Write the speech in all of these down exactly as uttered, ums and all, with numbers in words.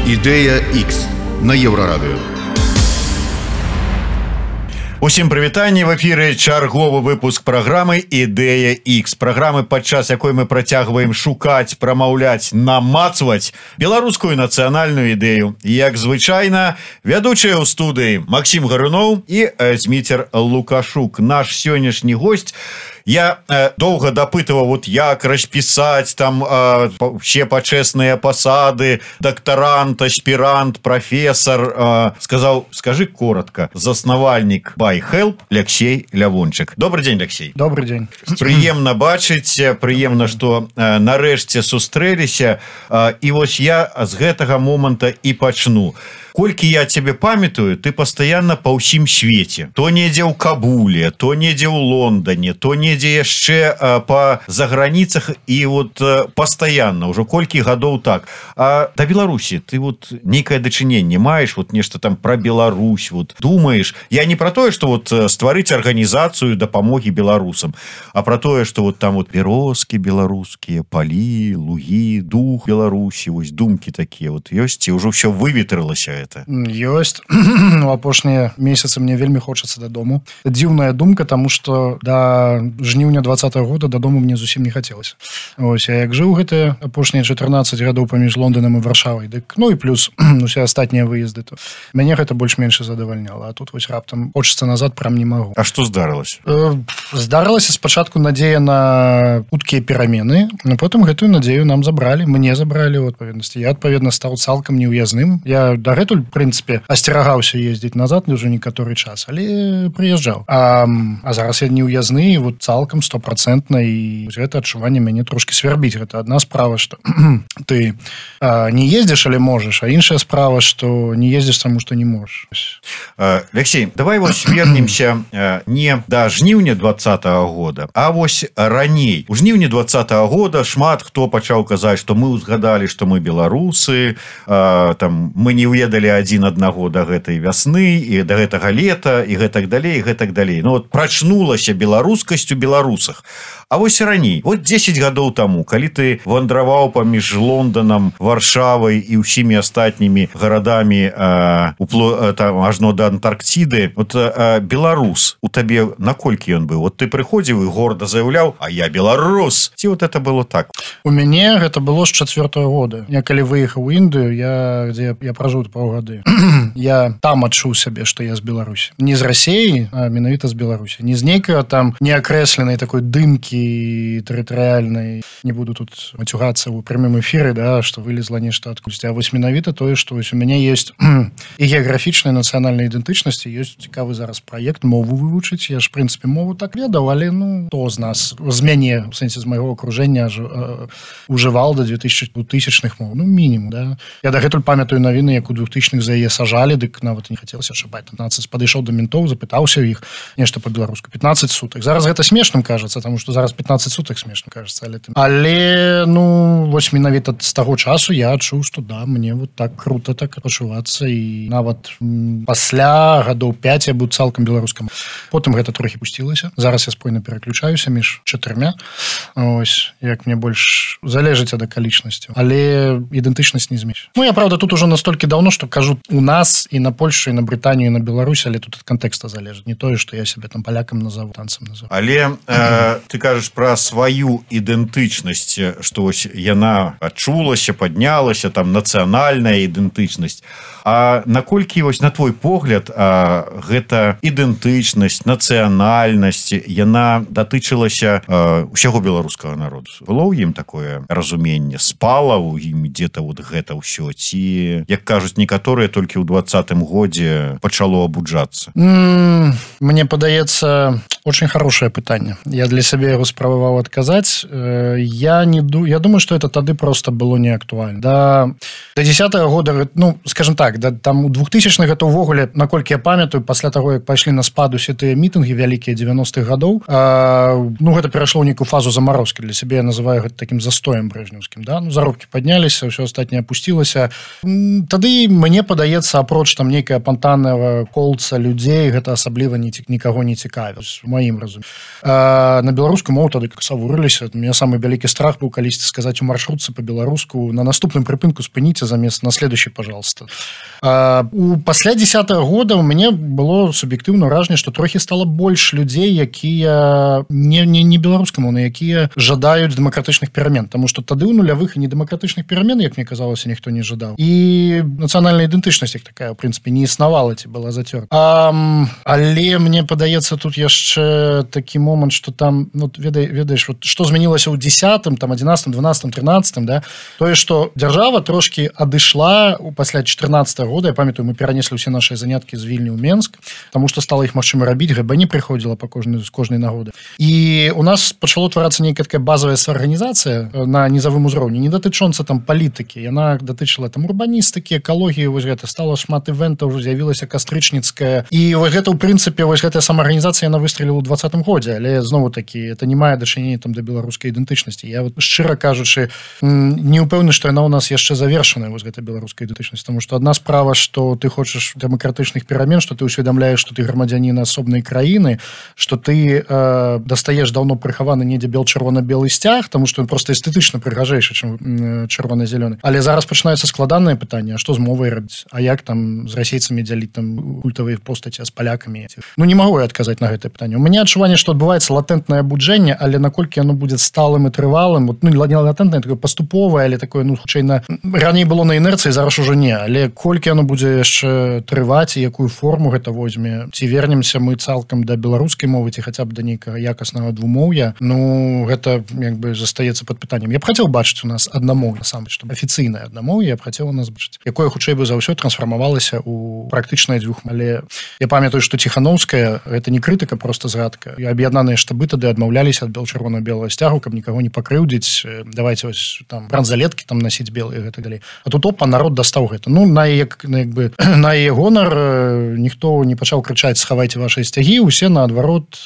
Ідэя X на Еўрарадыё. Усім прывітанне, в эфіры чарговы выпуск праграмы «Ідэя X». Праграмы, падчас якой мы працягваем шукаць, прамаўляць, намацваць беларускую нацыянальную ідэю. Як звычайна, вядучыя ў студыі Максім Гаруноў і Зміцер Лукашук. Наш сённяшні госць. Я э, доўга дапытываў, вот як распісаць там э, все пачэсныя пасады, дактарант, аспірант, прафесар. Э, сказаў, скажи коротко, заснавальнік BuyHelp Алексей Лявончык. Добрый день, Алексей. Добрый день. Прыемна бачыць, прыемна, што э, нарэшце сустрэліся. Э, і вось я з гэтага моманта і пачну. Колькі я тебе памятаю, ты постоянно по ўсім свеце. То недзе ў Кабуле, то недзе ў Лондоне, то недзе яшчэ а, по заграніцах і вот а, постоянно, ўжо колькі гадоў так. А да Беларусі ты вот нейкае дачыненне маеш, вот нешта там про Беларусь, вот думаешь. Я не про тое, что вот стварыць арганізацыю дапамогі беларусам, а про тое, что вот там вот бярозкі беларускія, палі, лугі, дух Беларусі, вось думкі такія вот ёсць, і ўжо ўсё выветрылася. Ёсць. У апошнія месяцы мне вельмі хочацца дадому. Дзіўная думка, таму што да жніўня двадцатага года дадому мне зусім не хацелася. Ось, а як жыў гэтыя апошнія чатырнаццаць гадоў паміж Лонданам і Варшавай, дык ну і плюс усе астатнія выезды, то мяне гэта больш-менш задавальняла. А тут вось раптам хочацца назад прям не магу. А што здарылася? Э, здарылася спачатку надзея на хуткія перамены, а потым гэтую надзею нам забралі, мне забралі ў адпаведнасці. Я адпаведна стаў цалкам неўязным. Я дагэтуль, в прынцыпе, асцерагаўся ездзіць назад ўжо некаторы час, але прыязджаў. А, а зараз я неўязны, вот цалкам стопроцентна, і гэта адчуванне мяне трошки свярбіць. Гэта адна справа, што ты а, не ездзіш, але можаш, а іншая справа, што не ездзіш, таму што не можаш. Алексей, давай вось вернемся не да жніўня двадцатага года, а вось раней. У жніўні двадцатага года шмат хто пачаў казаць, што мы ўзгадалі, што мы беларусы, а, там мы не ведалі адзін аднаго да гэтай вясны і да гэтага лета і гэтак далей, і гэтак далей. Ну вот прачнулася беларускасць у беларусах. А вось раней, вот дзесяць гадоў таму, калі ты вандраваў паміж Лонданам, Варшавай і ўсімі астатнімі гарадамі а, упло, там, ажно да Антарктиды, вот а, беларус у табе наколькі ён быў? Вот ты прыходзіў і горда заяўляў, а я беларус. Ці вот это было так? У мяне гэта было з чацвёртага года. Я калі выехаў у Індыю, я, дзе я пражыў паўгады. Я там адчуў сябе, што я з Беларусі. Не з Расіі, а менавіта з Беларусі. Не з нейкага там неакрэсленай такой дымкі тэрытарыяльнай. Не буду тут мацюгацца ў прямым эфіры, да, што вылезла нешта адкульсьці. А вось менавіта тое, што вось у мяне ёсць і геаграфічная нацыянальная ідэнтычнасць, ёсць цікавы зараз праект мову вывучыць. Я ж, в прынцыпе, мову так ведаў, але ну, то з нас, з мяне, в сэнсе з майго акружэння ужываў да двухтысячных мов. Ну, мінімум, да. Я дагэтуль памятаю навіны, як у двухтысячных за яе сажалі, дык нават не хацелася шабаць. пятнадцать падышоў да ментоў, запытаўся ў іх нешта па-беларуску. пятнадцать сутак. Зараз гэта смешным кажацца, таму што зараз пятнадцать сутак смешна кажацца, але ты... але ну вось менавіта з таго часу я адчуў, што да, мне вот так круто так пачувацца, і нават м, пасля гадоў пяць я быў цалкам беларускам. Потым гэта трохі пусцілася. Зараз я спойна пераключаюся між чатырма. Ось, як мне больш залежыць ад акалічнасцяў. Але ідэнтычнасць не зменш. Ну я правда тут ужо настолькі даўно, што кажу у нас і на Польшу, і на Брытанію, і на Беларусь, але тут ад кантэкста залежыць. Не тое, што я сябе там палякам назову, танцам назову. Але э, ты кажаш про сваю ідэнтычнасць, што вось яна адчулася, паднялася, там нацыянальная ідэнтычнасць. А наколькі вось на твой погляд а, гэта ідэнтычнасць, нацыянальнасць, яна датычылася а, ўсяго беларускага народу? Было ў ім такое разуменне? Спала ў ім дзе-то вот гэта ўсё? Ці, як кажуць некаторыя, толькі ў двадцатым годзе пачало абуджацца? Mm, мне падаецца, очень хорошее пытанне. Я для сябе яго спрабаваў адказаць. Я не ду... я думаю, што это тады просто было не актуальна. Да, да десятага года, ну, скажем так, да, там у двухтысячных гэта ўвогуле, наколькі я памятаю, пасля таго, як пайшлі на спад усе тыя мітынгі вялікія дзевяностых гадоў, э, ну гэта перайшло ў нейкую фазу замарозкі. Для сябе я называю гэта такім застоем брежнеўскім, да? Ну, заробкі падняліся, ўсё астатняе апусцілася. Тады мне падаецца, апроч там нейкая пантанная колца людзей, гэта асабліва ні, нікаго не цікавіць, у маім разуменні. Э, на беларускую мову тады как савурыліся. У меня самы вялікі страх быў калісьці сказаць у маршрутцы по-беларуску: на наступным прыпынку спыніце замест на следующий, пожалуйста. Э, у пасля десятого года у мяне было суб'ектыўна ўражанне, што трохі стала больш людзей, якія не, не, не беларускамоўныя, якія жадаюць дэмакратычных перамен, таму што тады ў нулявых і недэмакратычных перамен, як мне казалася, ніхто не жадаў. І нацыянальная ідэнтычнасць як такая, в прынцыпе, не існавала, ці была зацёрта. А, але мне падаецца тут яшчэ такі момант, што там, ну, ведай, ведаеш, вот, што змянілася ў десятым, там, одиннадцатым, двенадцатым, тринадцатым, да, тое, што дзяржава трошкі адышла пасля чатырнаццатага года, я памятаю, мы перанеслі ўсе нашыя заняткі з Вільні ў Менск, таму што стала іх магчыма рабіць, гэ бэ не прыходзіла па кожнай, з кожнай нагоды. І у нас пачало тварацца нейкая такая базавая арганізацыя на нізавым узроўні, не датычонца там палітыкі, яна датычыла там урбаністыкі, экалогіі, вось гэта, стала шмат івентаў, ўжо з'явілася кастрычніцкая, і вось гэта, ў прынцыпе, вось гэтая самаарганізацыя, яна выстреліла ў двадцатым годзе, але знову такі, это не мае дачынення там да беларускай ідэнтычнасці. Я вот шчыра кажучы, не ўпэўнены, што яна ў нас яшчэ завершаная, вось гэта беларуская ідэнтычнасць, таму што адна справа, што ты хочаш дэмакратычных перамен, што ты ўсведамляеш, што ты грамадзянін асобнай краіны, што ты э, дастаеш даўно прыхаваны недзе бел-чырвона-белы сцяг, таму што ён проста эстэтычна прыгажэйшы, чым э, чырвона-зялёны. Але зараз пачынаюцца складаныя пытанні: а што з мовай рабіць? А як там з расейцамі дзяліць там культавыя постаці, а з палякамі? Ну, не магу я адказаць на гэтае пытанне. У мяне адчуванне, што адбываецца латэнтнае абуджэнне, але наколькі яно будзе сталым і трывалым, вот, ну, не латэнтнае, такое паступовае, але такое, ну, хутчэй на... раней было на інерцыі, зараз ужо не, але колькі яно будзе яшчэ трываць і якую форму гэта возьме, ці вернемся мы цалкам да беларускай мовы, ці хаця б да нейкага якаснага двумоўя, ну, гэта як бы застаецца пад пытаннем. Я б хацеў бачыць у нас аднамоўе, насамрэч, што афіцыйнае аднамоўе, я б хацеў у нас бачыць, якое хутчэй бы за ўсё трансфармавалася ў практычнае дзвюх. Але я памятаю, што Ціханаўская, гэта не крытыка, просто згадка. І аб'яднаныя штабы тады адмаўляліся ад бел-чырвона-белага сцягу, каб нікаго не пакрыўдзіць, давайте ось там бранзалеткі там насіць белыя, гэта далей. А тут опа, народ дастаў гэта. Ну, на яе, як бы, на яе гонар ніхто не пачаў крычаць: схавайце вашыя сцягі, усе наадварот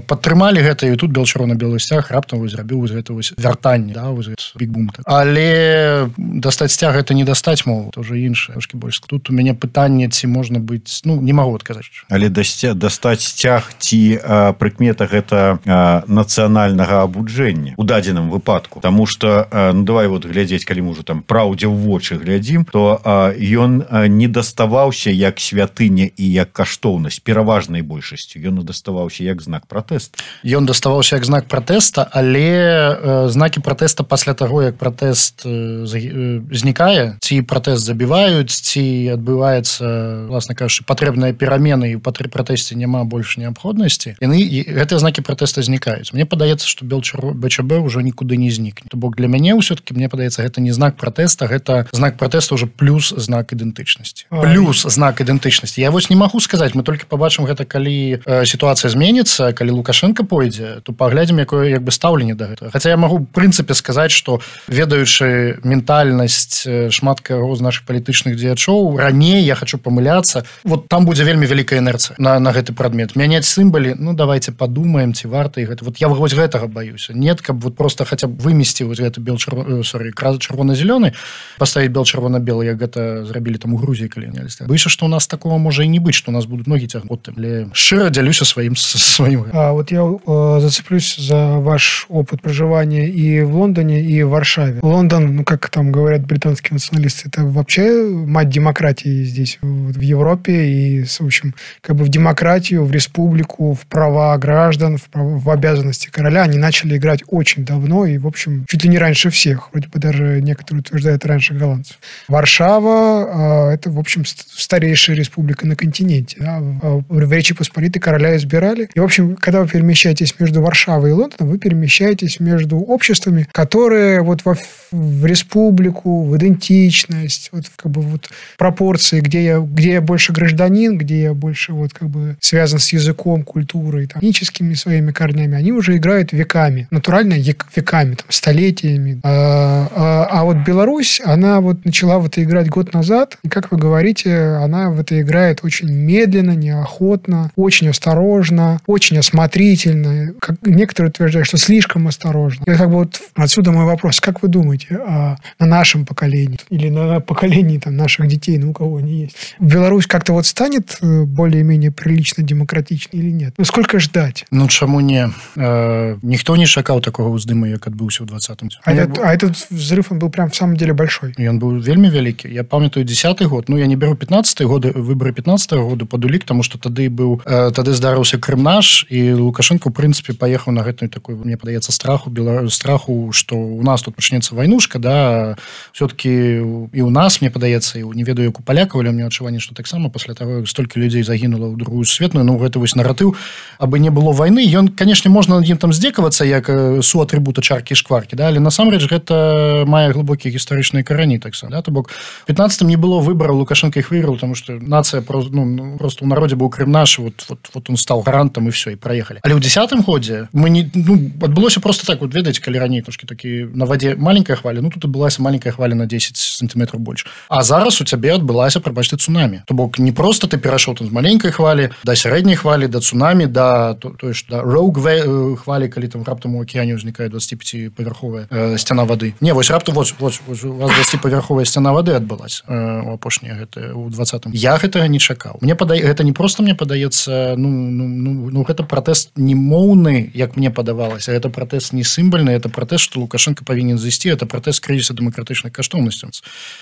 падтрымалі гэта, і тут бел-чырвона-белы сцяг раптам зрабіў вось гэта вось вяртанне, да, вось бік-бум. Але дастаць сцяг — гэта не дастаць мову, то ўжо іншае, трошкі больш. Тут у мяне пытанне, ці можна быць, ну, не магу адказаць. Але дастаць сцяг ці а, прыкмета гэта а, нацыянальнага абуджэння у дадзеным выпадку. Таму што, а, ну, давай вот глядзець, калі мы ўжо там праўдзе ў вочы глядзім, то а, ён а, не даставаўся як святыня і як каштоўнасць пераважнай большасцю. Ён даставаўся як знак пратэста. Ён даставаўся як знак пратэста, але э, знакі пратэста пасля таго, як пратэст э, знікае, ці пратэст забіваюць, ці адбываецца, власна кажучы, патрэбныя перамены, і ў пратэсце няма больш неабходнасці, яны, гэтыя знакі пратэста знікаюць. Мне падаецца, што БЧБ ўжо нікуды не знікне. То бок для мяне ўсё-таки, мне падаецца, гэта не знак пратэста, гэта знак пратэста ўжо плюс знак ідэнтычнасці. Плюс знак ідэнтычнасці. Я вось не магу сказаць, мы толькі пабачым гэта, калі э, сітуацыя зменіцца, калі Лукашенко пойдзе, то паглядзім, якое як бы стаўленне да гэтага. Хаця я магу в прынцыпе сказаць, што ведаючы ментальнасць шмат каго з нашых палітычных дзеячоў, раней, я хочу памыляцца, вот там будзе вельмі вялікая інерцыя на, на гэты прадмет. Мяняць сімбалі, ну давайте падумаем, ці варта і гэта. Вот я вось гэтага баюся. Нет, каб вот просто хаця б вымесці вось гэты бел-чырвона, сорі, чырвона-зялёны, паставіць бел-чырвона-белы, як гэта зрабілі там у Грузіі, калі няліся. Баюся, што у нас такого можа і не быць, што у нас будуць ногі цягнуць. Але шчыра дзялюся сваім сваім. А вот я э, зацеплюсь за ваш опыт проживания и в Лондоне, и в Варшаве. Лондон, ну как там говорят британские националисты, это вообще мать демократии здесь, в Европе, и, в общем, как бы в демократию, в республику, в права граждан, в, права, в обязанности короля они начали играть очень давно, и, в общем, чуть ли не раньше всех, вроде бы даже некоторые утверждают раньше голландцев. Варшава э, это, в общем, старейшая республика на континенте. Да? В, в Речи Посполитой короля избирали. И, в общем, когда вы перемещаетесь между Варшавой и Лондоном, вы перемещаетесь между обществами, которые вот во, в республику, в идентичность, вот как бы вот пропорции, где я, где я больше гражданин, где я больше вот как бы связан с языком, культурой, там, этническими своими корнями, они уже играют веками, натурально веками, там, столетиями. А, а, а вот Беларусь, она вот начала в это играть год назад, и, как вы говорите, она в это играет очень медленно, неохотно, очень осторожно, очень осмотрительно. Как некоторые утверждают, что слишком осторожно. И как бы вот отсюда мой вопрос. Как вы думаете о, на нашем поколении или на поколении там, наших детей, ну, у кого они есть? Беларусь как-то вот станет более-менее прилично демократичной или нет? Ну, сколько ждать? Ну, чаму не? Э, ніхто не чакаў такого ўздыму, як адбыўся ў двадцатым. А, этот, а этот взрыв, он был прям в самом деле большой. И он был вельмі вялікі. Я памятаю десятый год. Ну, я не беру пятнадцатый годы, выборы пятнадцатого года под улик, потому что тады быў, э, тады здарыўся Крымнаш, и Лукашенко, в принципе, поехал на гэтую такой, мне падаецца, страху, бела... страху, что у нас тут пачнецца войнушка, да, все-таки и у нас, мне падаецца, и не ведаю, як у палякаў, але мне адчуванне, что таксама пасля того, столькі людзей загінула ў другую светную, ну, гэта вось наратыў, абы не было войны, ён, конечно, можна над ім там здзекавацца, як суатрыбута чаркі і шкваркі, да, але насамрэч гэта мае глыбокія гістарычныя карані таксама, да, то бок в пятнадцатым не было выбораў, Лукашенко их выиграл, потому что нация просто, ну, просто у народе был Крымнаш, вот, вот, вот он стал гарантом, и все, и проехали. Але ў десятым годзе мы не, ну, адбылося просто так, вот ведаеце, калі раней трошки такі на воде маленькая хваля, ну, тут адбылася маленькая хваля на десять сантиметров больше. А зараз у цябе адбылася, прабачце, цунамі. То бок не просто ты перайшоў там з маленькай хвалі да сярэдняй хвалі, да цунамі, да, то, то есть, да, роуг хвалі, калі там раптам у акеане ўзнікае двадцатипятипавярховая э, сцяна воды. Не, вось раптам, вось, вось, вось у вас двадцатипавярховая сцяна воды адбылася э, у апошняе гэта у двадцатым. Я гэтага не чакаў. Мне падае, гэта не просто мне падаецца, ну, ну, ну, ну гэта пратэст не моўны, як мне падавалася, гэта пратэст не сімвальны, это пратэст, што Лукашенко павінен зайсці, это пратэст крызіса дэмакратычных каштоўнасцяў.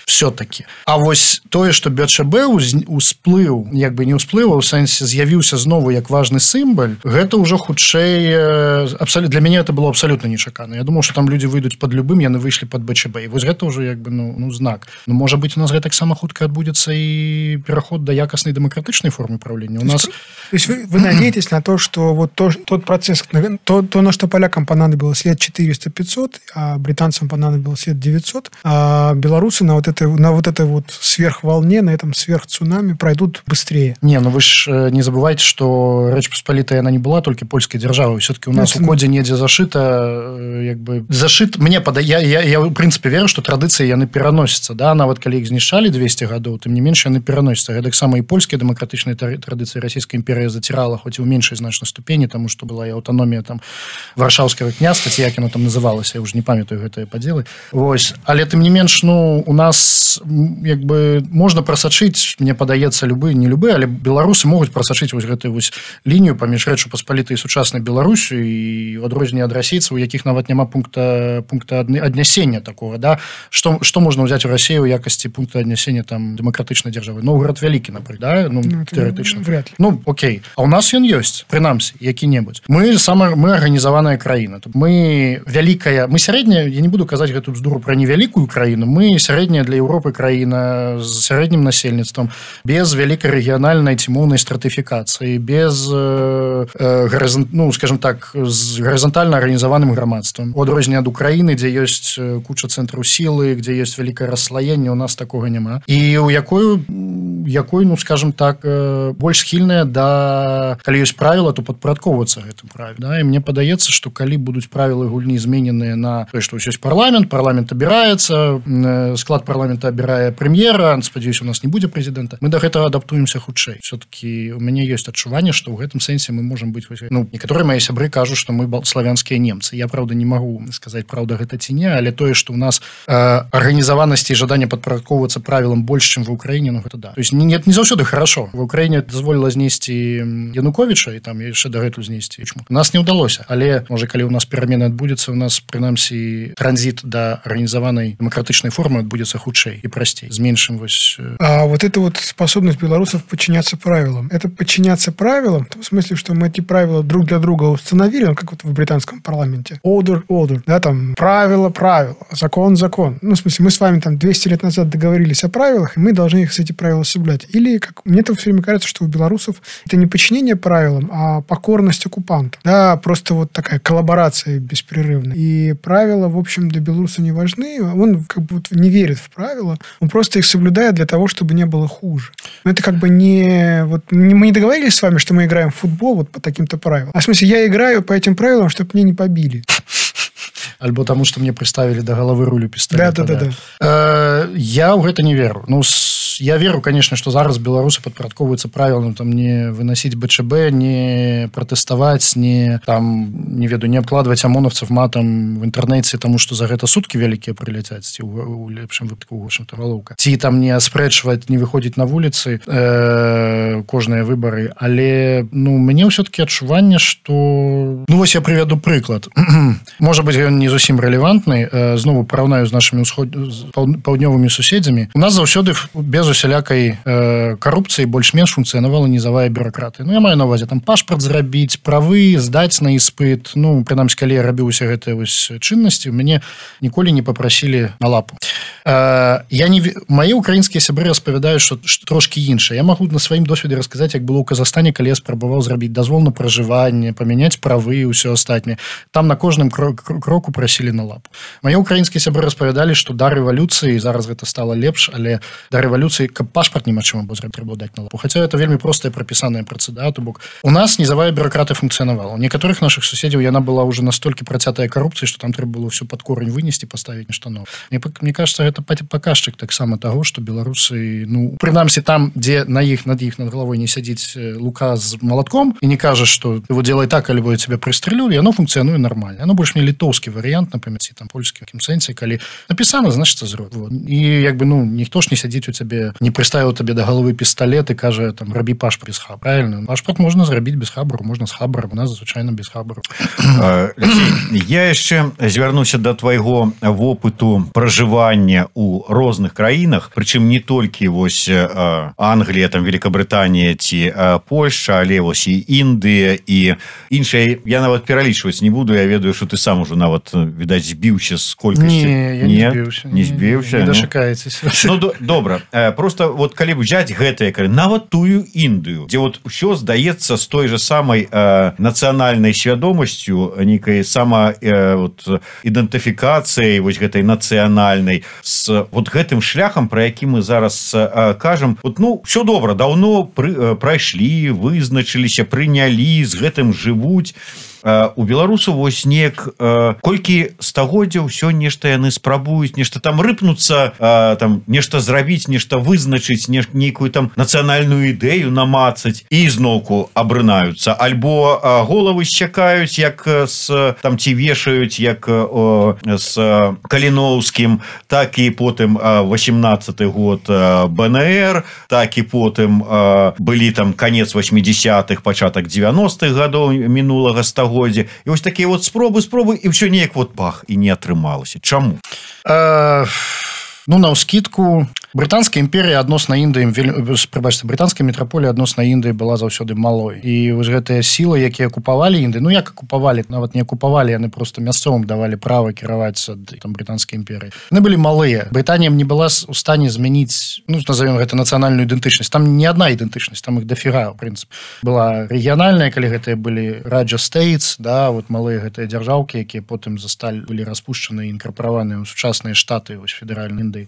Все-таки. А вось тое, што БЧБ усплыў, як бы не ўсплыў, у сэнсе з'явіўся знову як важны сімваль, гэта ўжо хутчэй абсолютно, для мяне это было абсолютно нечакана. Я думаў, што там людзі выйдуць пад любым, яны выйшлі пад БЧБ. І вось гэта ўжо як бы ну, ну знак. Ну, можа быць, у нас гэтаксама хутка адбудзецца і пераход да якаснай дэмакратычнай формы правлення. У нас... То есть вы, вы надеетесь на то, что вот то, тот процесс, то, то, на что полякам понадобилось лет четыреста-пятьсот, а британцам понадобилось лет девятьсот, а белорусы на вот этой, на вот этой вот сверхволне, на этом сверхцунами пройдут быстрее. Не, ну вы ж не забывайте, что Рэч Паспалітая, она не была только польской державой. Все-таки у нас это... у коде недзе зашито, як бы, зашит, мне пода... я, я, я, в принципе, верю, что традиции яны пераносятся, да, нават калі іх знішчалі двести гадоў, тым не менш яны пераносятся. Гэтак сама і польскія дэмакратычныя традыцыі Расійскай імперыі зацірала, хоць і ў меншай значнай ступені, тому што была і аўтаномія там варшаўскага княства, ці як яно там называлася, я ўжо не памятаю гэтыя падзелы. Вось, але тым не менш, ну, у нас як бы можна прасачыць, мне падаецца, любы, не любы, але беларусы могуць прасачыць вось гэтую вось лінію паміж Рэчу Паспалітай і сучаснай Беларусю, і ў адрозненне ад расейцаў, у якіх нават няма пункта пункта аднясення такого, да, што што можна ўзяць у Расію ў якасці пункта аднясення там дэмакратычнай дзяржавы. Новгород вялікі, напрыклад, да, ну, ну тэарэтычна. Вряд ли. Ну, окей. А у нас ён ёсць, прынамсі, які-небудзь. Мы сама мы арганізаваная краіна. Мы вялікая, мы сярэдняя, я не буду казаць гэту бздуру пра невялікую краіну, мы сярэдняя для Еўропы краіна з сярэднім насельніцтвам, без вялікай рэгіянальнай ці моўнай стратыфікацыі, без э, э, гарызон, ну, скажем так, з гарызантальна арганізаваным грамадствам. У адрозненне ад Украіны, дзе ёсць куча цэнтраў сілы, дзе ёсць вялікае расслаенне, у нас такога няма. І у якой, якой, ну, скажем так, больш схільная да, калі ёсць правіла, то падпарадкоўвацца гэтым правілам. Да? І мне падаецца, што калі будуць правілы гульні змененыя на тое, што ёсць парламент, парламент абіраецца, склад парламента абірае прэм'ера, спадзяюся, у нас не будзе прэзідэнта, мы да гэтага адаптуемся хутчэй. Все-таки у мяне ёсць адчуванне, што ў гэтым сэнсе мы можам быць, ну, некаторыя мае сябры кажуць, што мы славянскія немцы. Я, правда, не магу сказаць, праўда гэта ці не, але тое, што ў нас э, арганізаванасці і жаданне падпарадкоўвацца правілам больш, чым ва Украіне, ну гэта да. То есть не, не заўсёды хорошо. Ва Украіне дазволіла знесці Януковіча і там яшчэ дагэтуль знесці. У нас не ўдалося, але можа калі ў нас перамены адбудзецца, у нас прынамсі транзіт да арганізаванай дэмакратычнай формы адбудзецца хутчэй і прасцей, з меншым вось. А вот эта вот способность белорусов подчиняться правилам, это подчиняться правилам, в смысле, что мы эти правила друг для друга установили, как вот в британском парламенте. Order, order, да, там правило, правило, закон, закон. Ну, в смысле, мы с вами там двести лет назад договорились о правилах, и мы должны их, эти правила соблюдать. Или, как мне это все время кажется, что у белорусов это не подчинение правилам, а покорность оккупанту. Да, просто вот такая коллаборация беспрерывная. И правила, в общем, для белоруса не важны. Он как бы вот не верит в правила, он просто их соблюдает для того, чтобы не было хуже. Но это как бы не... Вот, не мы не договорились с вами, что мы играем в футбол вот по таким-то правилам. А в смысле, я играю по этим правилам, чтобы меня не побили. Альбо тому, што мне прыставілі да галавы рулю пісталета. Да, да, да, да. Э, я ў гэта не веру. Ну, есть я веру, конечно, что зараз беларусы падпарадкоўваюцца правілам там не выносить БЧБ, не пратэставаць, не там не веду не обкладывать ОМОНовцев матам в интернете, тому что за гэта сутки вялікія прыляцяць ці у, у лепшым выпадку у общем-то галоўка, ці там не аспрэчваць, не выходзіць на вуліцы э, кожныя выбары, але ну мне ўсё-таки адчуванне, что ну вось я прывяду прыклад. Можа быть, ён не зусім рэлевантны, э, знову параўнаю з нашими усход... паўднёвымі суседзямі. У нас заўсёды без усялякай э, карупцыі больш-менш функцыянавала нізавая бюракратыя. Ну я маю на увазе там пашпарт зрабіць, правы здаць на іспыт. Ну прынамсі, калі я рабіў усе гэтыя вось чыннасці, мяне ніколі не попрасілі на лапу. Э, я не мае украінскія сябры распавядаюць, што, што трошки іншае. Я магу на сваім досведзе расказаць, як было ў Казахстане, калі я спрабаваў зрабіць дазвол на пражыванне, памяняць правы і ўсё астатняе. Там на кожным кроку прасілі на лапу. Мае украінскія сябры распавядалі, што да рэвалюцыі, зараз гэта стала лепш, але да рэвалюцыі, каб пашпарт немагчыма было зрабіць, трэба даць на лапу. Хаця это вельмі простая прапісаная працэдура, то бок у нас нізавая бюракратыя функцыянавала. У некаторых наших суседзяў яна была ўжо настолькі працятая карупцыяй, што там трэба было ўсё пад корень вынесці, паставіць на штанов. Мне, мне кажется, гэта паказчык таксама таго, што беларусы, ну прынамсі там, дзе на іх над іх над галавой не сядзіць Лука з молотком і не кажа, што ты вот делай так, альбо я тебя прыстрэлю, яно функцыянуе нормально. Яно больш мне літоўскі варыянт, например, ці там польскі, в якім сэнсе, калі напісана, значыцца зробіць. Вот. І як бы ну ніхто ж не сядзіць у цябе, не прыставіў табе да галавы пісталет і кажа там рабі пашпарт без хабара. Правильно? Пашпарт можна зрабіць без хабару, можна з хабаром, у нас звычайна без хабару. Я яшчэ звярнуся да твайго вопыту пражывання ў розных краінах, прычым не толькі вось Англія, там Великабрытанія ці Польшча, але вось і Індыя і іншыя. Я нават пералічваць не буду, я ведаю, што ты сам ужо нават відаць збіўся з колькасці. Не, я не збіўся. Не збіўся. Не дашакаецеся. Ну добра, просто вот калі взять гэтае, нават тую Індыю, дзе вот ўсё здаецца з той же самай э, нацыянальнай свядомасцю, нейкай сама э, вот, ідэнтыфікацыяй вось гэтай нацыянальнай, з вот гэтым шляхам, пра які мы зараз э, кажам. Вот, ну, все добра, даўно пры, э, прайшлі, вызначыліся, прынялі, з гэтым жывуць. У беларусаў вось неяк колькі стагоддзяў ўсё нешта яны спрабуюць, нешта там рыпнуцца, там нешта зрабіць, нешта вызначыць, нейкую там нацыянальную ідэю намацаць і зноўку абрынаюцца, альбо головы счакаюць, як з там ці вешаюць, як о, з Каліноўскім, так і потым восемнадцаты год бэ эн эр, так і потым былі там канец восьмідзесятых, пачатак дзевяностых гадоў мінулага стагоддзя. І вось такія вот спробы, спробы, і ўсё неяк вот пах, і не атрымалася. Чаму? А... Ну, наўскідку, брытанская імперія адносна Індыі, прыбачце, брытанская метраполія адносна Індыі была заўсёды малой. І вось гэтыя сілы, якія акупавалі Індыю, ну як акупавалі, нават не акупавалі, яны просто мясцовым давалі права кіраваць там брытанскай імперіі. Яны былі малыя. Брытанія не была у стане змяніць, ну, назовем гэта нацыянальную ідэнтычнасць. Там не адна ідэнтычнасць, там іх дафіга, ў прынцыпе. Была рэгіянальная, калі гэтыя былі Раджа Стейтс, да, вот малыя гэтыя дзяржаўкі, якія потым засталі, былі распушчаны і інкарпараваныя ў сучасныя штаты, вось федэральнай Індыі.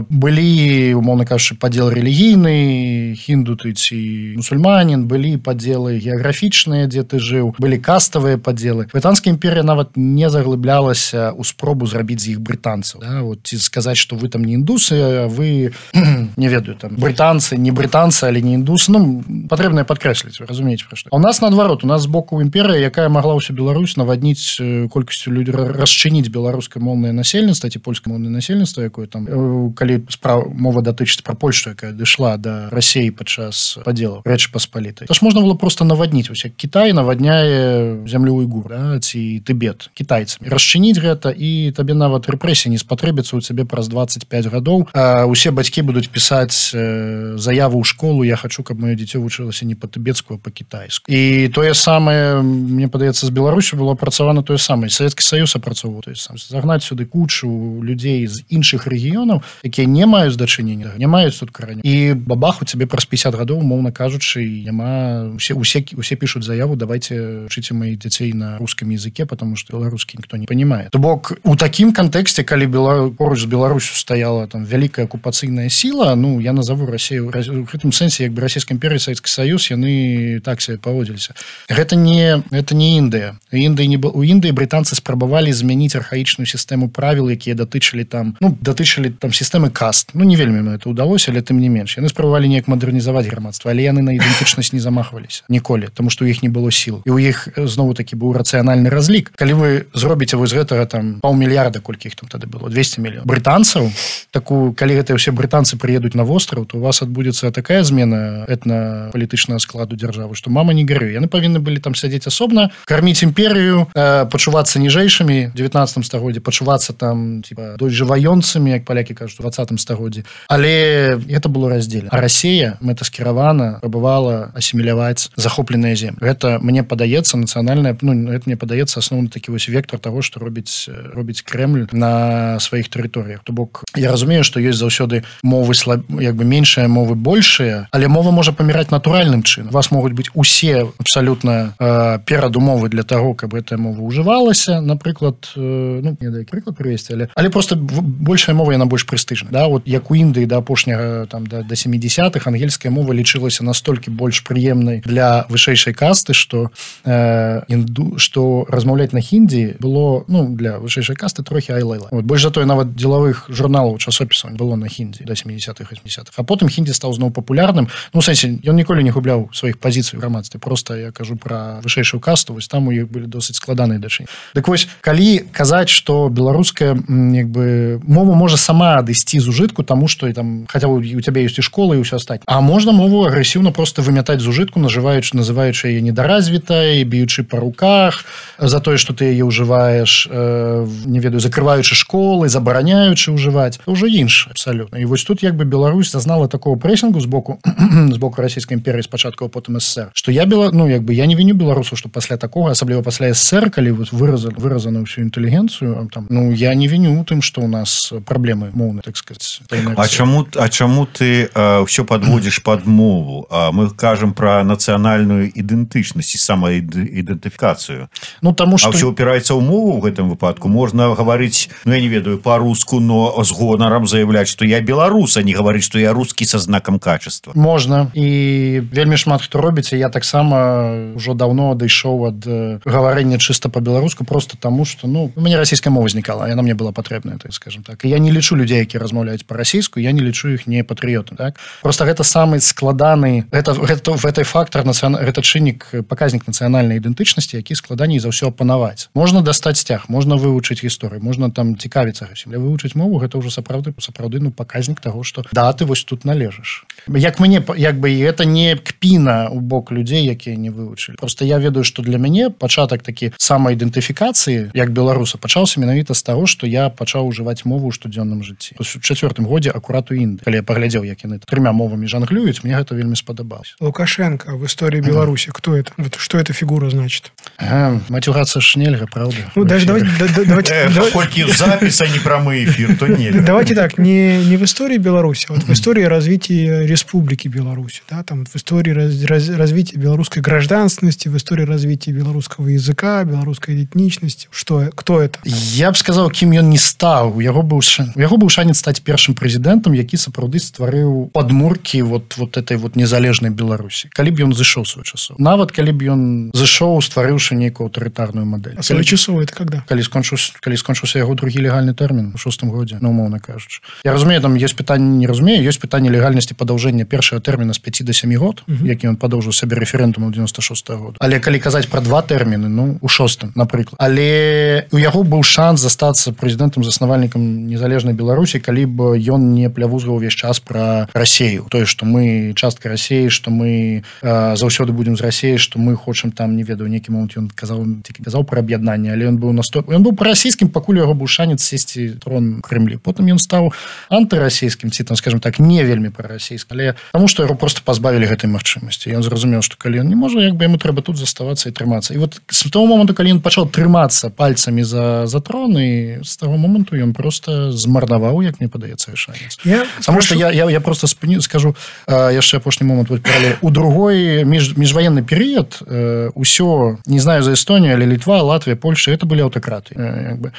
Былі, умоўна кажучы, падзел рэлігійны, хінду ты ці мусульманін, былі падзелы геаграфічныя, дзе ты жыў, былі каставыя падзелы. Брытанская імперія нават не заглыблялася ў спробу зрабіць з іх брытанцаў. Да? Вот, ці сказаць, што вы там не індусы, а вы, не ведаю, там, брытанцы, не брытанцы, але не індусы. Ну, патрэбна падкрэсліць, вы разумееце, пра што. А у нас, наадварот, у нас з боку імперія, якая магла ўсю Беларусь навадніць колькасцю людзей, расчыніць беларускамоўнае насельніцтва ці польскамоўнае насельніцтва, якое там, калі справа мова датычыць пра Польшу, якая дайшла да Расіі падчас падзелаў Рэчы Паспалітай. Тож можна было просто навадніць, вось як Кітай навадняе зямлю уйгур, да, ці Тыбет кітайцамі. Расчыніць гэта, і табе нават рэпрэсіі не спатрэбіцца ў цябе праз дваццаць пяць гадоў. А усе бацькі будуць пісаць заяву ў школу: я хачу, каб маё дзіцё вучылася не па-тыбецку, а па-кітайску. І тое самае, мне падаецца, з Беларусю было апрацавана тое самае. Савецкі Саюз апрацоўваў тое самае. Загнаць сюды кучу людзей з іншых рэгіёнаў, якія не маюць дачынення, не маюць тут карані. І бабах, у цябе праз пяцьдзясят гадоў, умоўна кажучы, няма... Усе, усе, усе пишут заяву: давайте учите моих детей на русском языке, потому что белорусский никто не понимает. То бок, у такім контексте, калі Белар... поруч з Беларусю стаяла там вялікая акупацыйная сила, ну, я назову Россию, в гэтым сэнсе, як бы Расійская імперія, Савецкі Саюз, яны так себе паводзіліся. Гэта не, это не Індыя. Індыі не... У Індыі брытанцы спрабавалі змяніць архаічную сістэму правіл, якія датычылі там, ну, датычылі там сістэмы каст. Ну, не вельмі ім это ўдалося, але тым не менш. Яны спрабавалі неяк мадэрнізаваць грамадства, але яны на ідэнтычнасць не замахваліся ніколі, тому што ў іх не было сіл. І ў іх зноў-такі быў рацыянальны разлік. Калі вы зробіце вось гэтага там паўмільярда, колькі іх там тады было, двести мільёнаў брытанцаў, таку, калі гэтыя ўсе брытанцы прыедуць на востраў, то у вас адбудзецца такая змена этна-палітычнага складу дзяржавы, што мама не горюй. Яны павінны былі там сядзець асобна, карміць імперію, э, пачувацца ніжэйшымі ў дзевятнаццатым стагоддзі, пачувацца там типа дожываёнцамі, як палякі кажуць, у двадцатым стагоддзі. Але это было раздзелена. А Расія мэтаскіравана прабавала асіміляваць захопленыя землі. Гэта мне падаецца нацыянальная, ну это мне падаецца асноўны такі вось вектор таго, што робіць робіць Крэмль на сваіх тэрыторыях. То бок я разумею, што ёсць заўсёды мовы слаб... як бы меншыя, мовы большыя, але мова можа паміраць натуральным чынам. У вас могуць быць усе абсалютна э, перадумовы для таго, каб гэтая мова ўжывалася, напрыклад, э, ну не дай прыклад прывесці, але але просто большая мова яна больш прэстыжна, да, вот як у Індыі да апошняга там да, да семидесятых ангельская мова лічылася настолькі больш прыемнай для вышэйшай касты, што э, інду, што размаўляць на хіндзі было, ну, для вышэйшай касты трохі ай-лайла. Вот больш за тое нават дзелавых журналаў, часопісаў было на хіндзі да семидесятых восьмидесятых. А потым хіндзі стаў зноў папулярным. Ну, у сэнсе, ён ніколі не губляў сваіх пазіцый у грамадстве. Просто я кажу пра вышэйшую касту, вось там у іх былі досыць складаныя дачынення. Дык вось, калі казаць, што беларуская як бы мова можа сама адысці з ужытку, таму што там хаця у цябе ёсць і школа і ўсё астатняе. А можна мову агрэсіўна просто вымятаць з ужытку, нажываючы, называючы яе недаразвітай, б'ючы па руках за тое, што ты яе ўжываеш, э, не ведаю, закрываючы школы, забараняючы ўжываць. Это ўжо іншае абсалютна. І вось тут як бы Беларусь зазнала такого прэсінгу з боку з боку расійскай імперыі спачатку, а потым СССР, што я бела, ну як бы я не віню беларусаў, што пасля такога, асабліва пасля СССР, калі вот выразана выразана ўсю інтэлігенцыю, там, ну я не віню у тым, што у нас праблемы моўныя, так сказать. А чаму а чаму ты э, ўсё подводзіш пад мову? А мы кажам пра нацыянальную ідэнтычнасць і самаідэнтыфікацыю. Ну таму што а ўсё упіраецца ў мову ў гэтым выпадку. Можна гаварыць, ну я не ведаю, па-руску, но з гонарам заявляць, што я беларус, а не гаварыць, што я рускі са знакам качества. Можна. І вельмі шмат хто робіць, я таксама ўжо даўно адышоў ад гаварэння чыста па-беларуску, просто таму што, ну, у мяне расійская мова знікала, яна мне была патрэбная, так скажем так. І я не лічу людзей, якія размаўляюць па-расійску, я не лічу іх не патрыётам, так? Просто гэта самы складаны, гэта гэта в этой фактор нацыяна... гэта чыннік, паказнік нацыянальнай ідэнтычнасці, які складаней за ўсё апанаваць. Можна дастаць сцяг, можна вывучыць гісторыю, можна там цікавіцца гэтым. Але вывучыць мову гэта ўжо сапраўды сапраўды ну паказнік таго, што да, ты вось тут належыш. Як мне як бы гэта не кпіна ў бок людзей, якія не вывучылі. Просто я ведаю, што для мяне пачатак такі самаідэнтыфікацыі як беларуса пачаўся менавіта з таго, што я пачаў ужываць мову ў штодзённым жыцці. У чацвёртым годзе акурат у Індыі. Калі я паглядзеў, як яны трыма мовамі жанглююць, мне гэта вельмі спадабалася. Лукашенко в истории Беларуси. Кто это? Что эта фигура значит? А, матюгаться ж нельга, правда? Ну, даже давайте... давайте Хоть запись, а не прямой эфир, то нельга. Давайте так, не, не в истории Беларуси, а вот в истории развития Республики Беларусь. Да, там, в истории раз, раз, развития белорусской гражданственности, в истории развития белорусского языка, белорусской этничности. Что, кто это? Я б сказал, кім ён не стаў. У яго быў, у яго быў шанец стаць першым прэзідэнтам, які сапраўды стварыў падмуркі вот, вот этой вот незалежнай Беларусі. Калі б ён зышоў свой часоў. Нават калі б ён зышоў, стварыўшы нейкую аўтарытарную мадэль. А своечасовы это когда? Калі скончыўся, калі скончыўся яго другі легальны тэрмін у шостым годзе, ну, умоўна кажучы. Я разумею, там ёсць пытанне, не разумею, ёсць пытанне легальнасці падаўжэння першага тэрміна з пяці да сямі год, uh -huh. які ён падоўжыў сабе рэферэндуму девяносто шестого года. Але калі казаць пра два тэрміны, ну, у шостым, напрыклад. Але у яго быў шанс застацца прэзідэнтам, заснавальнікам незалежнай Беларусі, калі б ён не плявузгаў увесь час пра Расею. Тое, што мы частка Расеі, што мы э, заўсёды будзем з Расеі, што мы хочам там, не ведаю, нейкі момант ён казаў, тільки казаў пра аб'яднанне, але ён быў насто... ён быў прарасійскім, пакуль у яго быў шанец сесці трон Крымлі. Потым ён стаў антырасійскім, ці там, скажем так, не вельмі прарасійскім, але таму што яго просто пазбавілі гэтай магчымасці. Ён зразумеў, што калі ён не можа, як бы яму трэба тут заставацца і трымацца. І вот з таго моманту, калі ён пачаў трымацца пальцамі за, за трон, і з таго моманту ён просто змарнаваў, як мне падаецца, шанец. Я Таму што я, я, я просто спыню, скажу э, яшчэ апошні момант вот, у другой між, міжваенны перыяд э, усё, не знаю за Эстонію, але Літва, Латвія, Польша, это былі аўтакраты. Э, як бы.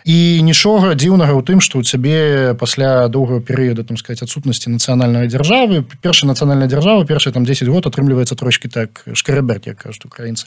І нічога дзіўнага ў тым, што ў цябе пасля доўгага перыяда, там сказаць, адсутнасці нацыянальнай дзяржавы, першая нацыянальная дзяржава, першыя там дзесяць год атрымліваецца трошкі так шкараберт, як кажуць украінцы.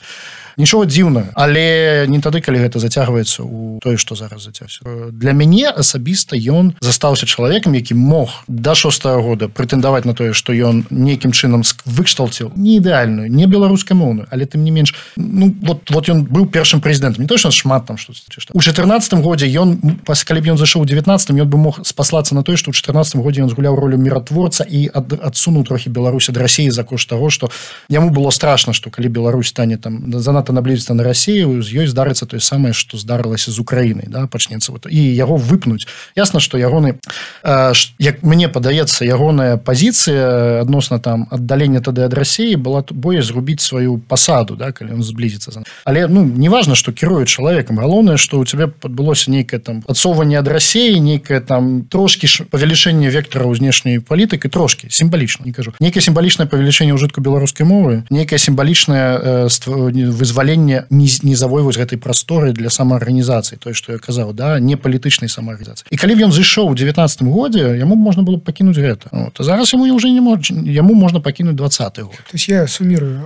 Нічога дзіўнага, але не тады, калі гэта зацягваецца ў тое, што зараз зацягваецца. Для мяне асабіста ён застаўся застаўся чалавекам, які мог да шостага года прэтэндаваць на тое, што ён нейкім чынам выкшталціў не ідэальную, не беларускамоўную, але тым не менш, ну вот вот ён быў першым прэзідэнтам, не точно шмат там што у чатырнаццатым годзе ён, калі б ён зайшоў у девятнаццатым, ён бы мог спаслацца на тое, што ў чатырнаццатым годзе ён згуляў ролю міратворца і ад, адсунуў трохі Беларусь ад Расіі за кошт таго, што яму было страшна, што калі Беларусь стане там занадта наблізіцца на Расію, з ёй здарыцца тое самае, што здарылася з Украінай, да, пачнецца вот, і яго выпнуць. Ясна, што ягоны, э, як мне падаецца, ягоная пазіцыя адносна там аддалення тады ад Расіі была боязь згубіць сваю пасаду, да, калі ён зблізіцца. Але ну неважна, што кіруе чалавекам, галоўнае, што у цябе адбылося нейкае там адсоўванне ад Расіі, нейкае там трошкі павелічэнне вектара ў знешняй палітыкі, трошкі сімвалічна, не кажу. Нейкае сімвалічнае павелічэнне ўжытку беларускай мовы, нейкае сімвалічнае э, вызваленне нізавой вось гэтай прасторы для самаарганізацыі, тое, што я казаў, да, не палітычнай самаарганізацыі. І калі б ён зайшоў у девятнаццатым годзе, яму можна было б пакінуць гэта. Вот. А зараз яму уже не можна, яму можна пакінуць двадцаты год. То есть я суммирую.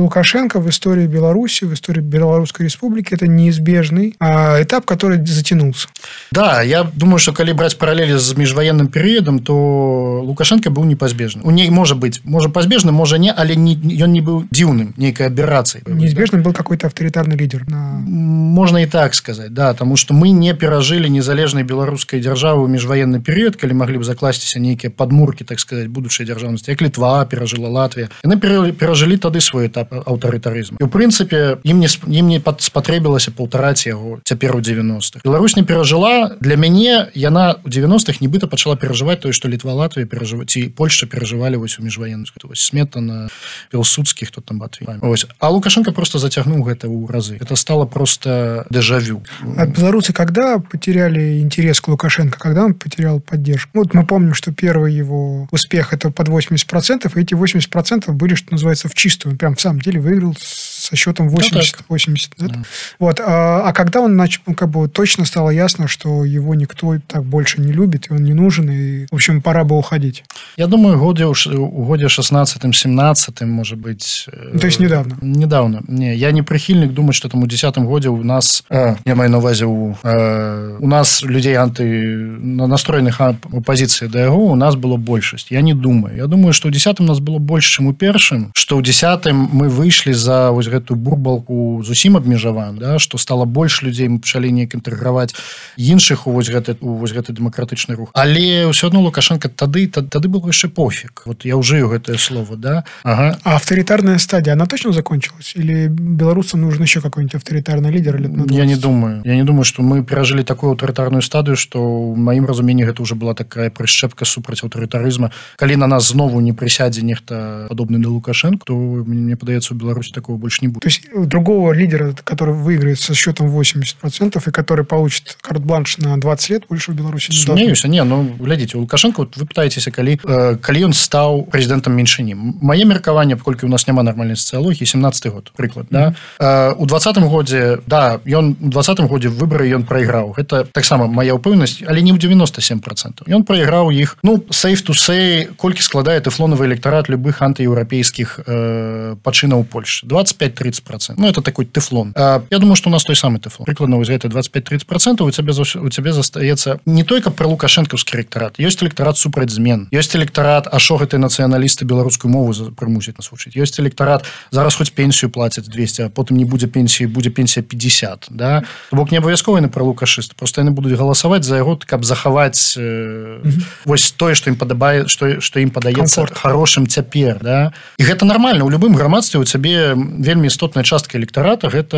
Лукашенко в истории Беларуси, в истории Белорусской Республики это неизбежный этап, который затянулся. Да, я думаю, что калі браць параллели з міжваенным перыядам, то Лукашенко быў непазбежны. У ней можа быць, можа пазбежны, можа не, але не, ён не быў дзіўным, нейкай аберрацыяй. Неизбежным был какой-то авторитарный лидер. На... Можно и так сказать, да, потому что мы не перажили незалежнай беларускай дзяржавы ў міжваенны перыяд, калі маглі б закласціся нейкія падмуркі, так сказать, будучай дзяржаўнасці, як Літва перажила, Латвія. Яны перажылі тады свой этап аўтарытарызму. І ў прынцыпе ім не, ім не спатрэбілася паўтараць яго цяпер у девяностых. Беларусь не перажыла. Для мяне яна ў девяностых нібыта пачала перажываць тое, што Літва, Латвія перажываць, ці Польшча перажывалі вось у міжваенную. Вось Сметана, Пілсудскі, хто там Батвій. Ось. А Лукашенко просто затягнул гэта ў разы. Это стало просто дежавю. А белорусы когда потеряли интерес к Лукашенко? Когда он потерял поддержку? Вот мы помним, что первый его успех это под восемьдесят процентов, и эти восемьдесят процентов были, что называется, в чистую. Он прям в самом деле выиграл со счетом восемьдесят-восемьдесят. Да, да. Вот. А, а когда он начал, ну, как бы точно стало ясно, что его никто так больше не любит, и он не нужен, и, в общем, пора бы уходить? Я думаю, годе, у годе шестнадцатым-семнадцатым, может быть... Ну, то есть недавно? Недавно. Не, я не прихильник думать, что там у десятым годе у нас, э, я маю на увазе, у, э, у нас людей анти, настроенных оппозиции до его, у нас было большесть. Я не думаю. Я думаю, что у десятым у нас было больше, чем у першым, что у десятым мы вышли за вот эту бурбалку зусім абмежаваем, да, что стало больше людей, мы пачалі неяк інтэграваць іншых у вось гэты, у вось гэты дэмакратычны рух. Але ўсё адно Лукашенко тады, тады был яшчэ пофиг. Вот я ўжыю гэтае слово, да. Ага. А авторитарная стадия, она точно закончилась? Или белорусам нужен еще какой-нибудь авторитарный лидер? Лет на я не думаю. Я не думаю, что мы перажили такую авторитарную стадию, что в моим разумении это уже была такая прышчэпка супраць аўтарытарызма. Калі на нас знову не присядзе нехта подобный на Лукашенко, то мне падаецца, у Беларуси такого больше не будет. То есть другого лидера, который выиграет со счетом восемьдесят процентов и который получит карт-бланш на двадцать лет, больше в Беларуси не Сумеюся, не, ну, глядите, у Лукашенко, вот вы пытаетеся, калі, э, калі он стал президентом меньшыні. Мое меркаванне, паколькі у нас няма нормальной социологии, семнадцатый год, прыклад, mm-hmm. да. Э, у двадцатым годзе, да, ён у двадцатым годзе выборы ён проиграў. Это таксама моя упэўненасць, але не ў девяносто семь процентов. Ён проиграў іх, ну, safe to say, колькі складае тэфлонавы электарат любых антыеўрапейскіх э, пачынаў Польши. двадцать пять тридцать процентов. Ну, это такой тэфлон. Э, я думаю, что у нас той самый тэфлон. Прыкладна, вось гэта двадцать пять тридцать процентов у цябе, у цябе застаецца не только про лукашэнкаўскі электарат. Ёсць электарат супраць змен. Ёсць электарат, а шо гэты нацыяналісты беларускую мову прымусяць нас вучыць. Ёсць электарат, зараз хоць пенсію плацяць двести, а потым не будзе пенсіі, будзе пенсія пятьдесят, да? То бок не абавязкова яны пра лукашысты, просто яны будуць галасаваць за яго, каб захаваць э, mm-hmm. вось тое, што ім падабае, што, што ім падаецца хорошым цяпер, да? І гэта нармальна. У любым грамадстве у цябе вельмі істотная частка электарата, гэта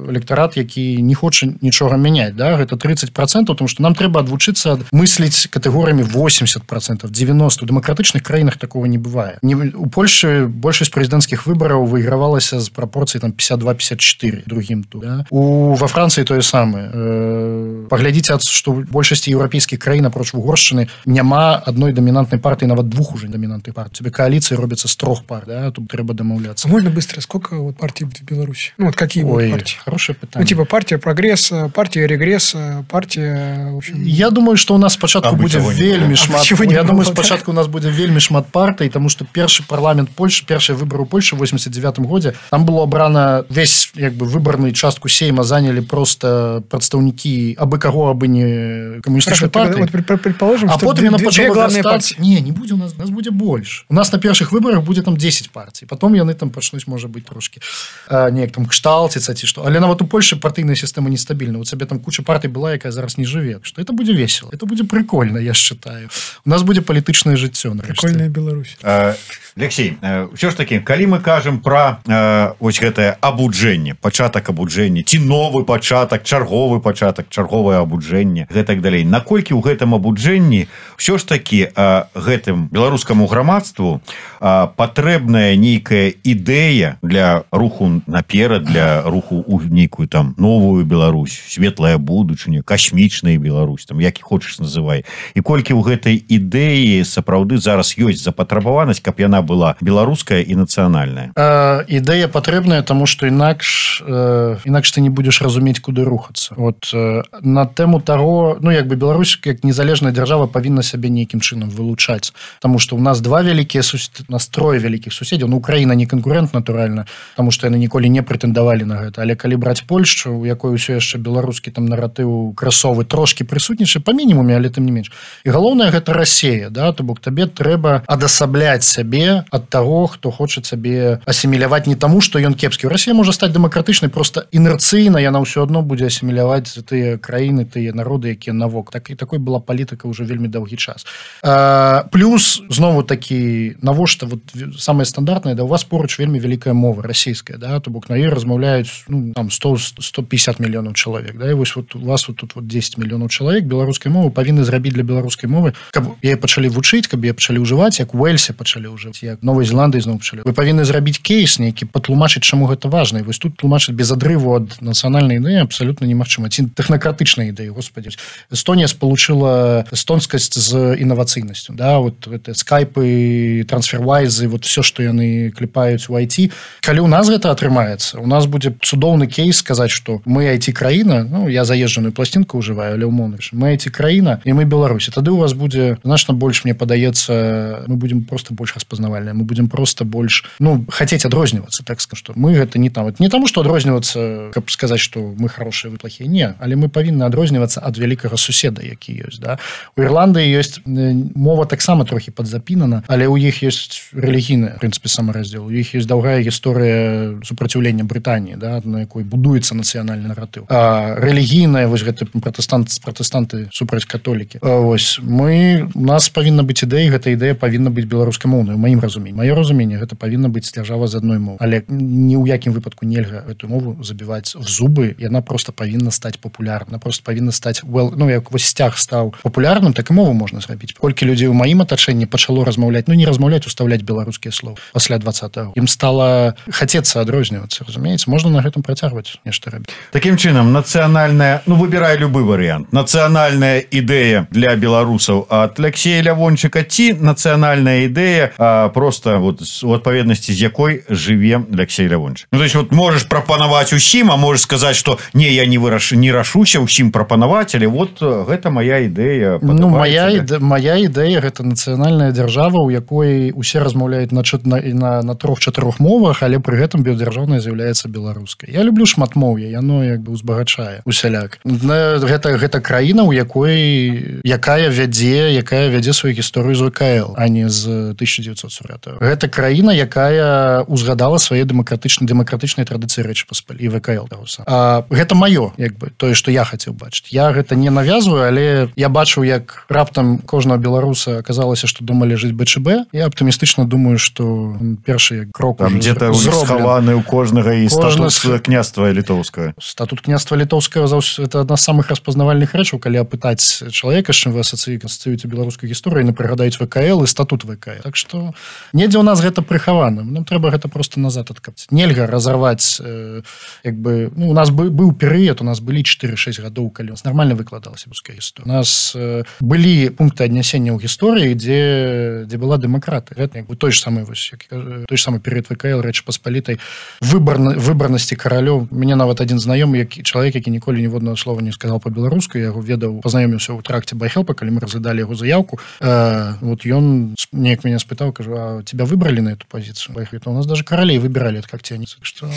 электарат, які не хоча нічога мяняць, да? Гэта тридцать процентов, потому что нам трэба адвучыцца мысліць катэгорыямі восемьдесят процентов, девяносто. У дэмакратычных краінах такого не бывае. Не, у Польши большасць прэзідэнцкіх выбараў выйгравалася з прапорцыі там пятьдесят два пятьдесят четыре другим тут. Да? У, во Францыі тое самае. Э, паглядзіце, што ў большасці еўрапейскіх краін апроч Угоршчыны няма адной дамінантнай партыі, нават двух уже дамінантных партый. Тебе коалиции робятся с трех пар, да? Тут трэба домовляться. А можно быстро? Сколько сколько вот партий будет в Беларуси? Ну, вот какие Ой, будут партии? Хорошее питание. Ну, типа партия прогресса, партия регресса, партия... В общем... Я думаю, что у нас спочатку Абы будзе чаго не вельмі было. шмат. Абы чаго не Я было, думаю, да. спачатку у нас будзе вельмі шмат партый, тому что першы парламент Польши, першыя выборы ў Польши в восемьдесят девятом годзе, там было абрана весь як бы выборную частку сейма заняли просто прадстаўнікі абы каго, абы не камуністычнай партыі. Вот пред- предположим, А что потым две, яна две пачала главные растаць. партии. Не, не будзе у нас, нас будзе больш. У нас на першых выборах будзе там десять партий. Потом яны там пачнуць, можа быть, трошки э, неяк там кшталціцца ці што. Але нават у Польши партыйная сістэма нестабільна. У цябе там куча партый была, якая зараз не жыве. Что это будзе весело. Это будзе прикольно, я считаю. У нас будзе палітычнае жыццё. Прикольная Беларусь. Э, Алексей, э, ўсё ж таки, калі мы кажам пра э, ось гэтае абуджэнне, пачатак абуджэння, ці новы пачатак, чарговы пачатак, чарговае абуджэнне, гэтак далей. Наколькі ў гэтым абуджэнні ўсё ж таки э, гэтым беларускаму грамадству э, патрэбная нейкая ідэя для руху наперад, для руху ў нейкую там новую Беларусь, светлая будучыня, касмічная Беларусь, там як і хочаш называй. І колькі ў гэтай ідэі сапраўды зараз ёсць запатрабаванасць, каб яна была беларуская і нацыянальная. Э, ідэя патрэбная, тому что інакш э, інакш ты не будешь разумець, куды рухацца. Вот э, на тэму таго, ну як бы Беларусь як незалежная дзяржава павінна сябе нейкім чынам вылучаць, тому что у нас два вялікія сус... нас трое вялікіх суседзяў. Ну, Украіна не канкурент, натуральна, тому что яны ніколі не прэтэндавалі на гэта. Але калі браць Польшчу, у якой усё яшчэ беларускі там наратыў красовы трошки прысутнічае па мінімуме, але тым не менш. І галоўнае гэта Расія, да, то бок табе трэба адасабляць сябе ад таго, хто хоча сабе асіміляваць не таму, што ён кепскі. Расія можа стаць дэмакратычнай, просто інерцыйна яна ўсё адно будзе асіміляваць тыя краіны, тыя народы, якія навок. Так і такой была палітыка ўжо вельмі доўгі час. А, плюс знову такі навошта вот самае стандартнае, да у вас поруч вельмі вялікая мова расійская, да, то бок на ёй размаўляюць ну там сто сто пятьдесят мільёнаў чалавек, да, і вось вот у вас вот тут вот десять мільёнаў чалавек беларускай мовы павінны зрабіць для беларускай мовы, каб яе пачалі вучыць, каб яе пачалі ўжываць, як у Уэльсе пачалі ўжываць, як Новай Зеландыі зноў пачалі. Вы павінны зрабіць кейс нейкі, патлумачыць, чаму гэта важна. І вось тут тлумачыць без адрыву ад нацыянальнай ідэі абсалютна немагчыма. Ці тэхнакратычнай ідэі, господи. Эстонія спалучыла эстонскасць з інавацыйнасцю, да, вот гэта скайпы, трансфервайзы, вот все, што яны клепаюць у ай ти. Калі у нас гэта атрымаецца, у нас будзе цудоўны кейс сказаць, што мы ай ти краіна, ну я заезджаную пласцінку ўжываю, але ўмоўна, мы ай ти краіна і мы Беларусь. Тады у вас будзе значна больш, мне падаецца, мы будем просто больш распазнавальныя, мы будем просто больш, ну, хацець адрознівацца, так скажу, што мы гэта не там, не таму, што адрознівацца, каб сказаць, што мы хорошыя, вы плохія, не, але мы павінны адрознівацца ад вялікага суседа, які ёсць, да. У Ірландыі ёсць мова таксама трохі падзапінана, але ў іх ёсць рэлігійная, в прынцыпе, самараздзел, у іх ёсць даўгая гісторыя супраціўлення Брытаніі, да, на якой будуецца нацыянальны наратыў. А рэлігійная, вось гэты пратэстант, пратэстанты супраць католікі. А, вось, мы, у нас павінна быць ідэя, гэта ідэя павінна быць беларускамоўнай, у маім разуменні. Маё разуменне, гэта павінна быць дзяржава з адной мовы. Але ні ў якім выпадку нельга гэту мову забіваць в зубы, яна просто павінна стаць папулярна, просто павінна стаць well, ну як вось сцяг стаў папулярным, так і мову можна зрабіць. Колькі людзей у маім атачэнні пачало размаўляць, ну не размаўляць, уставляць беларускія словы пасля двадцатого. Ім стала хацецца адрознівацца, разумееце, можна на гэтым працягваць нешта рабіць. Такім чынам, нацыянальная, ну выбірай любы варыянт. Нацыянальная ідэя для беларусаў ад Алексея Лявончыка ці нацыянальная ідэя а, просто вот у адпаведнасці з якой жыве Алексей Лявончык. Ну то есть вот можаш прапанаваць усім, а можаш сказаць, што не, я не выраш, не рашуся ўсім прапанаваць, але вот гэта моя ідэя. Ну моя іде, моя ідэя гэта нацыянальная дзяржава, у якой усе размаўляюць на на, на, на трох-чатырох мовах, але пры гэтым біёдзяржаўная з'яўляецца беларускай. Я люблю шматмоўе, яно як бы узбагачае усяляк. Гэта гэта краіна, у якой якая вядзе, якая вядзе сваю гісторыю з вэ ка эл, а не з тысяча девятьсот сорокого. Гэта краіна, якая узгадала свае дэмакратычныя дэмакратычныя традыцыі Рэчы Паспальтай, вэ ка эл. А гэта маё, як бы тое, што я хацеў бачыць. Я гэта не навязваю, але я бачыў, як раптам кожнага беларуса аказалася, што дома ляжыць бэ чэ бэ. Я аптымістычна думаю, што першы крок там где-то схаваны ў кожнага і Кожна... статут княства літоўскага. Статут княства літоўскага это адна з самых распазнавальных рэчаў, калі апытаць чалавека, з чым вы асацыюеце беларускую гісторыю, не прыгадаюць вэ ка эл і статут вэ ка эл. Так што недзе у нас гэта прыхавана. Нам трэба гэта просто назад адкапаць. Нельга разарваць э, як бы, ну, у нас бы, быў перыяд, у нас былі чатыры-шэсць гадоў, калі у нас нармальна выкладалася руская гісторыя. У нас э, былі пункты аднясення ў гісторыі, дзе дзе была дэмакраты. Гэта як бы той ж самы вось той ж самы перыяд ВКЛ Рэчы Паспалітай, выбарна выбарнасці каралёў. Мне нават адзін знаёмы, які чалавек, які ніколі ніводнага слова не сказал па-беларуску, я яго ведаў, пазнаёміўся ў тракце Байхелпа, калі мы разглядалі яго заявку. Э, вот ён неяк мяне спытаў, кажу: а тебя выбрали на эту позицию? Байхелп: у нас даже королей выбирали от когтяницы. Что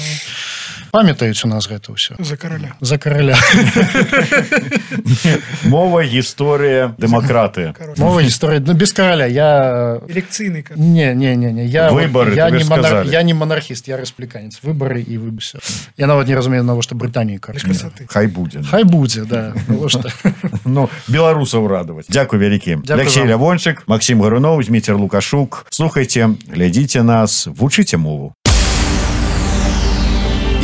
памятаюць у нас гэта ўсё. За короля. За короля. Мова, гісторыя, дэмакраты. Мова, гісторыя, ну без короля. Я... Элекцыйны. Не, не, не, не. Я, выборы, я, ты не ж монар... сказали. я не монархіст, я рэспубліканец. Выборы і выбуся. Я нават не разумею, навошта Брытаніі караць. Хай будзе. Хай будзе, да. Ну, беларусаў радаваць. Дзякуй вялікі. Алексей Лявончык, Максим Гаруноў, Зміцер Лукашук. Слухайце, глядзіце нас, вучыце мову.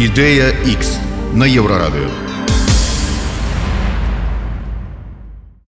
Ідэя Х на Еўрарадыё.